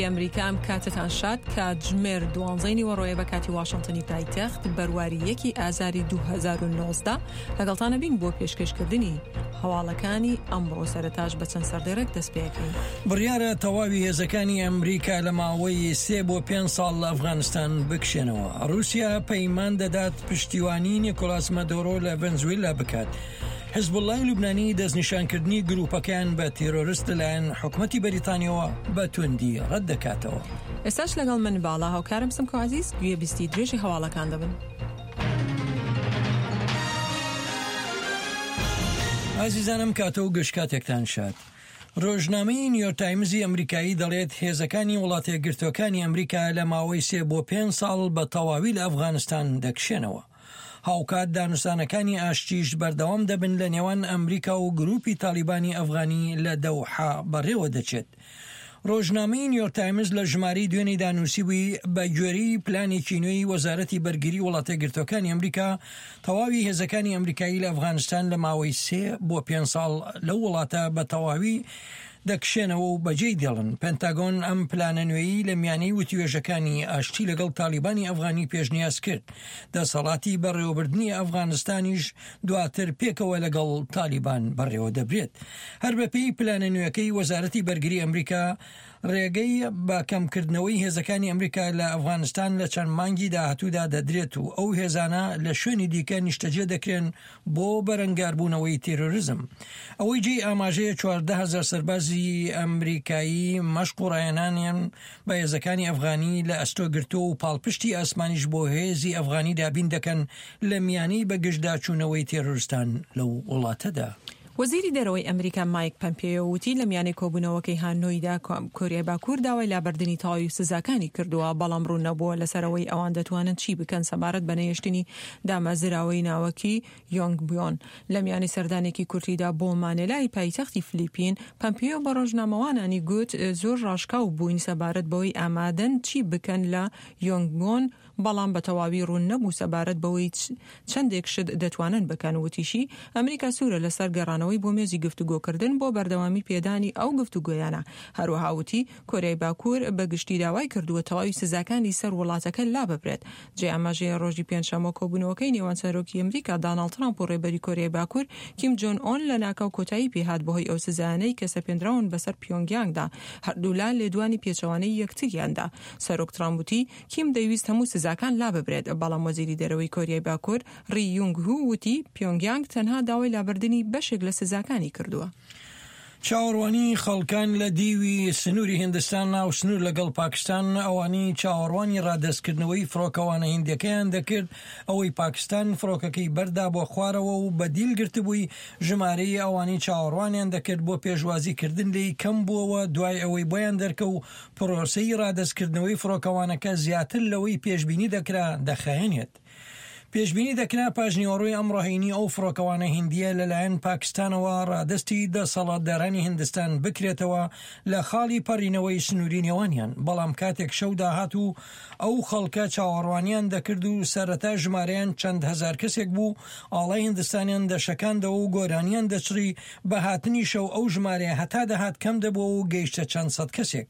ئەمریکا ئەم کاتەتان شاد کاتژمێر دوانزەی نیوەڕۆیە بە کاتی واشنتنی پایتەخت بەرواری یەکی ئازاری 2019 لەگەڵتانە بین بۆ پێشکەشکردنی هەواڵەکانی ئەمڕۆ سەرەتاش بە چەند سەردێڕێک دەست پێەکەین. بڕیارە تەواوی هێزەکانی ئەمریکا لە ماوەی سێ بۆ پێنج ساڵ لە ئەفغانستان بکشێنەوە. ڕووسیا پەیمان دەدات پشتیوانی نیکۆلاس مادۆرۆ لە ڤەنزوێلا بکات. حزبوڵڵای لوبنانی دەستنیشانکردنی گرووپەکەیان بە تێرۆرست لەلایەن حکومەتی بەریتانیەوە بە توندی ڕەت دەکاتەوە. ئێستاش لەگەڵ من باڵا هاوکارم سمکۆ عەزیز گوێبیستی درێژی هەواڵەکان دەبن. ئازیزانم کاتە و گشت کاتێکتان شاد. ڕۆژنامەی نیویۆرک تایمزی ئەمریکایی دەڵێت هێزەکانی وڵاتەیەکگرتووەکانی ئەمریکا لە ماوەی سێ بۆ پێنج ساڵ بە تەواوی لە ئەفغانستان دەکشێنەوە. هاوکات دانوستانەکانی ئاشتیش بەردەوام دەبن لە نێوان ئەمریکا و گروپی تاڵیبانی ئەفغانی لە دەوحە بەڕێوە دەچێت. ڕۆژنامەی نیویۆرک تایمز لە ژمارەی دوێنێدا نووسیبووی، بە گوێرەی پلانێکی نوێی وەزارەتی بەرگری وڵاتەیەکگرتووەکانی ئەمریکا، تەواوی هێزەکانی ئەمریکایی لە ئەفغانستان لە ماوەی سێ بۆ پێنج ساڵ لەو وڵاتە بە تەواوی دەکشێنەوە و بەجێی دێڵن. پنتاگۆن ئەم پلانە نوێیەی لە میانەی وتوێژەکانی ئاشتی لەگەڵ تاڵیبانی ئەفغانی پێشنیاز کرد. دەسەڵاتی بەڕێوەبردنی ئەفغانستانیش دواتر پێکەوە لەگەڵ تالیبان بەڕێوەدەبرێت. هەر بەپێی پلانە نوێکەی وەزارەتی بەرگری ئەمریکا، ڕێگەی بە کەمکردنەوەی هێزەکانی ئەمریکا لە ئەفغانستان لە چەند مانگی داهاتوودا دەدرێت و ئەو هێزانە لە شوێنی دیکە نیشتەجێ دەکرێن بۆ بەرەنگاربوونەوەی تێرۆریزم. ئەوەی جێی ئاماژەیە 14,000 سەربازی ئەمریکایی مەشق و ڕاهێنانیان بە هێزەکانی ئەفغانی لە ئەستۆ گرتووە و پاڵپشتی ئاسمانیش بۆ هێزی ئەفغانی دابین دەکەن لە میانەی بەگژداچوونەوەی تێرۆرستان لەو وڵاتەدا. وەزیری دەرەوەی ئەمریکا مایک پەمپێیۆ وتی لە میانەی کۆبوونەوەکەی هانۆیدا کۆریای باکوور داوای لابردنی تەواوی سزاکانی کردووە، بەڵام ڕوون نەبووە لەسەر ئەوەی ئەوان دەتوانن چی بکەن سەبارەت بە نەهێشتنی دامەزراوەی ناوەکی یۆنگبیۆن. لە میانەی سەردانێکی کورتیدا بۆ مانێلای پایتەختی فلیپین، پەمپێیۆ بە ڕۆژنامەوانانی گوت زۆر ڕاشکاو بووین سەبارەت بەوەی ئامادەن چی بکەن لە یۆنگبیۆن، بەڵام بە تەواوی ڕوون نەبوو سەبارەت بەوەی چەندێک شت دەتوانن بکەن، وتیشی، ئەمریکا سوورە لەسەر گەڕانەوەی بۆ مێزی گفتوگۆکردن بۆ بەردەوامی پێدانی ئەو گفتوگۆیانە. هەروەها وتی، کۆریای باکوور بە گشتی داوای کردووە تەواوی سزاکانی سەر وڵاتەکە لاببرێت. جێی ئاماژەیە ڕۆژی پێنجشەممە کۆبوونەوەکەی نێوان سەرۆکی ئەمریکا داناڵد ترامپ و ڕێبەری کۆریای باکوور کیم جۆن ئۆن لەناکاو کۆتایی پێهات بەهۆی ئەو سزایانەی کە سەپێندراون بەسەر پیۆنگیانگدا، هەردوولا لێدوانی پێچەوانەی یەکتریان دا. سەرۆک ترامپ وتی، کیم دەیویست هەموو سزاکان لاببرێت، بەڵام وەزیری دەرەوەی کۆریای باکوور ڕی یونگ هو وتی، پیۆنگیانگ تەنها داوای لابردنی بەشێک لە سزاکانی کردووە. چاوەڕوانی خەڵکان لە دیوی سنووری هیندستان ناو سنوور لەگەڵ پاکستان ئەوانی چاوەڕوانی ڕادەستکردنەوەی فڕۆکەوانە هیندەکەیان دەکرد ئەوەی پاکستان فڕۆکەکەی بەردا بۆ خوارەوە و بە دیل گرتبووی ژمارەی ئەوانی چاوەڕوانیان دەکرد بۆ پێشوازیکردن لێی کەم بووەوە دوای ئەوەی بۆیان دەرکەو پرۆسەی ڕادەستکردنەوەی فڕۆکەوانەکە زیاتر لەوەی پێشبینی دەکرا دەخایەنێت. پێشبینی دەکرا پاشنیوەڕۆی ئەمڕۆ هەینی ئەو فڕۆکەوانە هیندییە لەلایەن پاکستانەوە ڕادەستی دەسەڵاتدارانی هیندستان بکرێتەوە لە خاڵی پەڕینەوەی سنووری نێوانیان، بەڵام کاتێک شەو داهات و ئەو خەڵکە چاوەڕوانیان دەکرد و سەرەتا ژمارەیان چەند هەزار کەسێک بوو، ئاڵای هیندستانیان دەشەکاندەوە و گۆرانیان دەچڕی، بە هاتنی شەو ئەو ژمارەیە هەتا دەهات کەم دەبووەوە و گەیشتە چەند سەد کەسێک.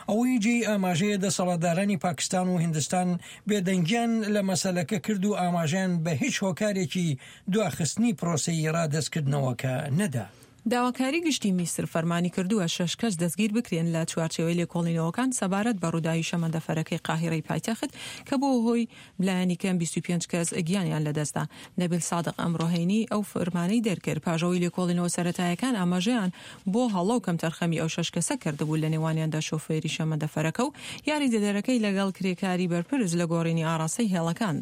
ئەوەی جێی ئاماژەیە دەسەڵاتدارانی پاکستان و هیندستان بێدەنگیان لە مەسەلەکە کرد و ئاماژەیان بە هیچ هۆکارێکی دواخستنی پرۆسەی ڕادەستکردنەوەکە نەدا. داواکاری گشتی میسر فەرمانی کردووە شەش کەس دەستگیر بکرێن لە چوارچێوەی لێکۆڵینەوەکان سەبارەت بە ڕووداوی شەمەندەفەرەکەی قاهیرەی پایتەخت کە بووە هۆی لایەنی کەم 25 کەس گیانیان لەدەستدا. نەبیل سادق ئەمڕۆ هەینی ئەو فەرمانەی دەرکرد پاش ئەوەی لێکۆڵینەوە سەرەتایەکان ئاماژەیان بۆ هەڵە و کەمتەرخەمی ئەو شەش کەسە کردبوو لەنێوانیاندا شۆفێری شەمەندەفەرەکە و یاریدەدەرەکەی لەگەڵ کرێکاری بەرپرس لە گۆڕینی ئاڕاستەی هێڵەکان.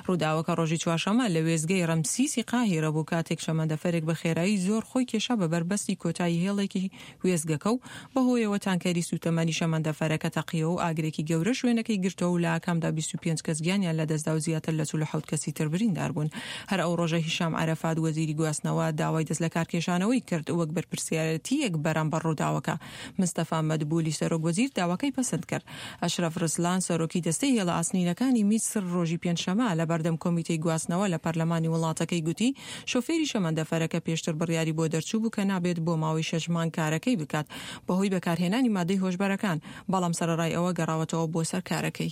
ڕووداوەکە ڕۆژی چوارشەممە لە وێستگەی ڕەمسیسی قاهیرە بوو کاتێک شەمەندەفەرێک بە خێرایی زۆر خۆی کێشا بە بەربەستی کۆتایی هێڵێکی وێستگەکە و بەهۆیەوە تانکەری سووتەمەنی شەمەندەفەرەکە تەقیەوە و ئاگرێکی گەورە شوێنەکەی گرتەوە و لە ئاکامدا 25 کەس گیانیان لەدەستدا و زیاتر لە 47 کەسی تر بریندار بوون. هەر ئەو ڕۆژە هیشام عەرەفات وەزیری گواستنەوە داوای دەستلەکارکێشانەوەی کرد وەک بەرپرسیارێتییەک بەرامبەر ڕووداوەکە. مستەفا مەدبولی سەرۆک وەزیر داواکەی پەسند کرد. ئەشرەف ڕسلان سەرۆکی دەستەی هێڵە ئاسنینەکانی میسر ڕۆژی پێنجشەمە لە بەردەم کۆمیتەی گواستنەوە لە پەرلەمانی وڵاتەکەی گوتی شۆفێری شەمەندەفەرەکە پێشتر بڕیاری بۆ دەرچووبوو کە. کە نابێت بۆ ماوەی شەش مانگ کارەکەی بکات بەهۆی بەکارهێنانی مادەی هۆشبەرەکان، بەڵام سەرەڕای ئەوە گەڕاوەتەوە بۆ سەر کارەکەی.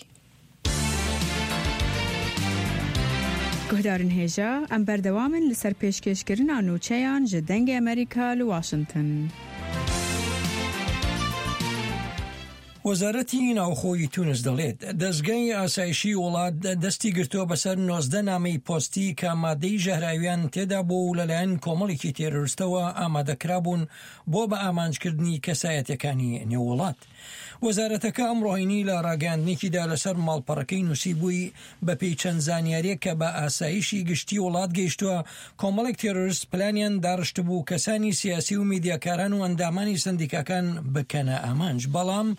Guhdarên hêja, em berdewam in li ser pêşkêşkirina nûçeyan ji Dengê Amerîka li Washington. وەزارەتی ناوخۆی تونس دەڵێت، دەزگای ئاسایشی وڵات دەستی گرتووە بەسەر 19 نامەی پۆستی کە مادەی ژەهراویان تێدا بوو و لەلایەن کۆمەڵێکی تێرۆرستەوە ئامادەکرابوون بۆ بە ئامانجکردنی کەسایەتیەکانی نێو وڵات. وەزارەتەکە ئەمڕۆ هەینی لە ڕاگەیاندنێکیدا لەسەر ماڵپەڕەکەی نووسیبووی، بەپێی چەند زانیارییەک کە بە ئاسایشی گشتی وڵات گەیشتووە، کۆمەڵێک تێرۆرست پلانیان داڕشتبوو کەسانی سیاسی و میدیاکاران و ئەندامانی سەندیکاکان بکەنە ئامانج، بەڵام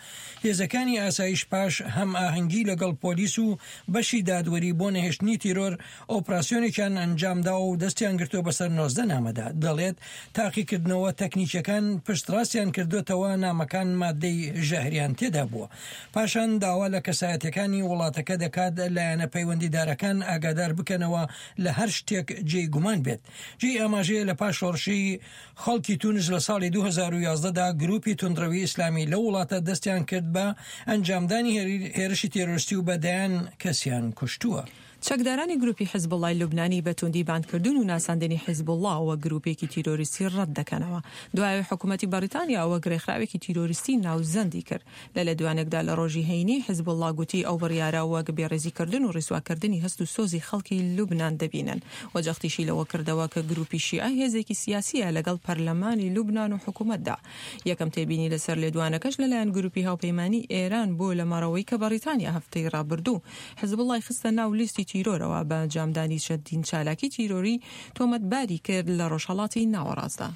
هێزەکانی ئاسایش پاش هەمئاهەنگی لەگەڵ پۆلیس و بەشی دادوەری بۆ نەهێشتنی تیرۆر ئۆپراسیۆنێکیان ئەنجامداوە و دەستیان گرتووە بەسەر 19 نامەدا، دەڵێت تاقیکردنەوە تەکنیکیەکان پشتڕاستیان کردۆتەوە نامەکان ماددەی ژەهریان تێدا بووە. پاشان داوا لە کەسایەتیەکانی وڵاتەکە دەکات لایەنە پەیوەندیدارەکان ئاگادار بکەنەوە لە هەر شتێک جێی گومان بێت. جێی ئاماژەیە لە پاش شۆڕشی خەڵکی تونس لە ساڵی 2011 دا گروپی توندڕەوی ئیسلامی لەو وڵاتە دەستیان کرد بە ئەنجامدانی هێرشی تێرۆرستی و بە دەیان کەسیان کوشتووە. چەکدارانی گروپی حیزبوڵڵای لوبنانی بە توندی باندکردن و ناساندنی حیزبوڵڵا وەک گروپێکی تیرۆریستی ڕەت دەکەنەوە. دوای ئەوەی حکومەتی بەڕیتانیا وەک رێکخراوێکی تیرۆریستی ناوزەندی کرد. لە لێدوانێکدا لە ڕۆژی هەینی، حیزبوڵڵا گوتی ئەو بڕیارە وەک بێڕێزیکردن و ڕیسواکردنی هەست و سۆزی خەڵکی لوبنان دەبینن و جەختیشی لەوە کردەوە کە گروپی شیعە هێزێکی سیاسییە لەگەڵ پەرلەمانی لوبنان و حکومەتدا. یەکەم تێبینی لەسەر لێدوانەکەش لەلایەن گروپی هاوپەیمانی ئێران بوو لەمەڕەوەی کە بەڕیتانیا هەفتەی ڕابردوو حزبوڵڵای خستە ناو لیستی تیرۆرەوە بە ئەنجامدانی چەندین چالاکی تیرۆری تۆمەتباری کرد لە ڕۆژهەڵاتی ناوەڕاستدا.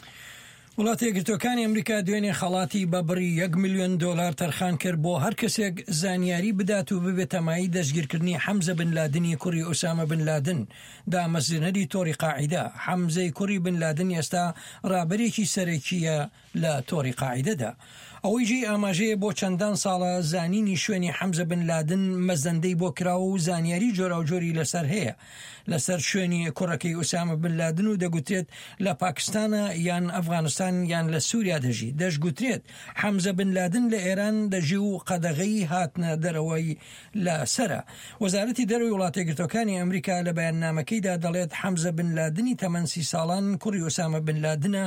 وڵاتە یەکگرتووەکانی ئەمریکا دوێنێ خەڵاتی بە بڕی یەک ملیۆن دۆلار تەرخان کرد بۆ هەر کەسێک زانیاری بدات و ببێتە مایەی دەستگیرکردنی حەمزە بن لادنی کوڕی ئوسامە بن لادن دامەزرێنەری تۆڕی قاعیدە. حەمزەی کوڕی بن لادن ئێستا ڕابەرێکی سەرەکییە لە تۆڕی قاعیدەدا. ئەوەی جێی ئاماژەیە بۆ چەندان ساڵە زانینی شوێنی حەمزە بن لادن مەزەندەی بۆ کراوە و زانیاری جۆراوجۆری لەسەر هەیە لەسەر شوێنی کوڕەکەی ئوسامە بن لادن و دەگوترێت لە پاکستانە یان ئەفغانستان یان لە سوریا دەژی، دەشگوترێت حەمزە بن لادن لە ئێران دەژی و قەدەغەی هاتنە دەرەوەی لە سەرە. وەزارەتی دەرەوەی وڵاتەیەکگرتووەکانی ئەمریکا لە بەیاننامەکەیدا دەڵێت حەمزە بن لادنی تەمەن سی ساڵان کوڕی ئوسامە بن لادنە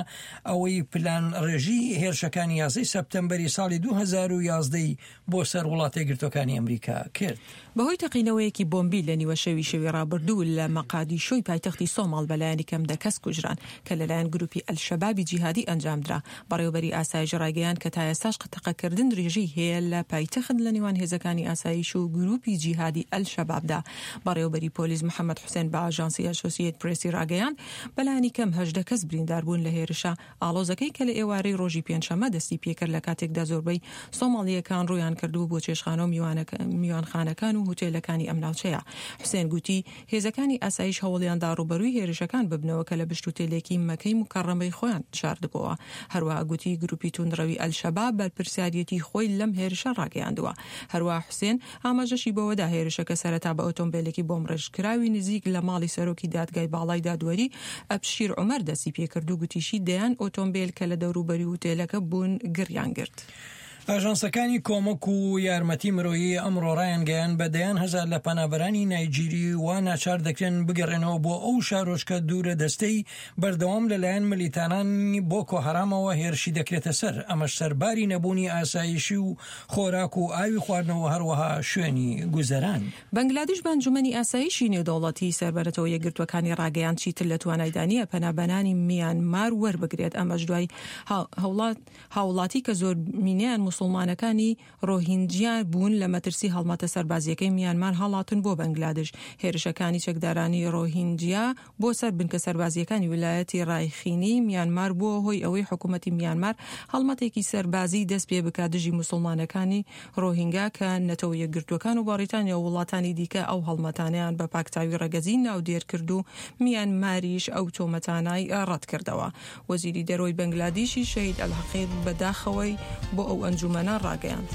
ئەوەی پلان ڕێژی هێرشەکانی یازدەی سەپتەمبەری ساڵی 2011 ی بۆ سەر وڵاتەیەکگرتووەکانی ئەمریکا کرد. بەهۆی تەقینەوەیەکی بۆمبی لە نیوە شەوی شەوی ڕابردوو لە مەقادیشۆی پایتەختی سۆماڵ بەلایەنی کەم دە کەس کوژران کە لەلایەن گروپی ئەلشەبابی جیهادی ئەنجامدرا. بەڕێوەبەری ئاسایش ڕایگەیاند کە تا ئێستاش تەقەکردن درێژەی هەیە لە پایتەخت لە نێوان هێزەکانی ئاسایش و گروپی جیهادی ئەلشەبابدا. بەڕێوەبەری پۆلیس محەمەد حوسێن بە ئاژانسی ئەسۆسیەت پرێسی ڕاگەیاند، بەلایەنی کەم 18 کەس برینداربوون لە هێرشە ئاڵۆزەکەی کە لە ئێوارەی ڕۆژی پێنجشەممە دەستی پێکرد لە کاتێکدا زۆربەی سۆماڵییەکان ڕوویان کردبوو بۆ چێشتخانە و میوانخانەکان و هوتێلەکانی ئەم ناوچەیە. حوسێن گوتی، هێزەکانی ئاسایش هەوڵیاندا ڕووبەرووی هێرشەکان ببنەوە کە لە پشت هوتێلێکی مەکەی موکەڕەمەی خۆیان شاردبۆوە. هەروەها گوتی گروپی توندڕەوی ئەلشەباب بەرپرسیاریەتی خۆی لەم هێرشە ڕاگەیاندووە. هەروەها حوسێن ئاماژەشی بەوەدا هێرشەکە سەرەتا بە ئۆتۆمبێلێکی بۆمڕێژکراوی نزیک لە ماڵی سەرۆکی دادگای باڵای دادوەری ئەبشیر عومەر دەستی پێکرد و گوتیشی دەیان ئۆتۆمبێل کە لە دەوروبەری هوتێلەکە بوون گڕیان گرت. ئاژانسەکانی کۆمەک و یارمەتی مرۆیی ئەمڕۆ ڕایانگەیاند، بە دەیان هەزار لە پەنابەرانی نایجیری وا ناچار دەکرێن بگەڕێنەوە بۆ ئەو شارۆچکە دوورە دەستەی بەردەوام لەلایەن ملیتانانی بۆکۆ هەرامەوە هێرشی دەکرێتە سەر، ئەمەش سەرباری نەبوونی ئاسایشی و خۆراک و ئاوی خواردنەوە هەروەها شوێنی گوزەران. بەنگلادیش بە ئەنجومەنی ئاسایشی نێودەوڵەتی سەر بە نەتەوە یەکگرتووەکانی ڕاگەیاند چیتر لە توانایدا نییە پەنابەرانی میانمار وەربگرێت، ئەمەش دوای هاوڵاتی کە زۆرینەیان موسڵمانەکانی ڕۆهینجیا بوون لە مەترسی هەڵمەتە سەربازییەکەی میانمار هەڵاتن بۆ بەنگلادش. هێرشەکانی چەکدارانی ڕۆهینجیا بۆ سەر بنکە سەربازییەکانی ویلایەتی ڕایخینی میانمار بووە هۆی ئەوەی حکومەتی میانمار هەڵمەتێکی سەربازی دەست پێ بکات دژی موسڵمانەکانی ڕۆهینگا کە نەتەوە یەکگرتووەکان و بەڕیتانیا و وڵاتانی دیکە ئەو هەڵمەتانەیان بە پاکتاوی ڕەگەزی ناودێر کرد و میانماریش ئەو تۆمەتانەی ڕەتکردەوە. وەزیری دەرەوەی بەنگلادیشی شەهید ئەلحەقیق بە داخەوەی بۆ ئەو ئەنجومەنە ڕاگەیاند.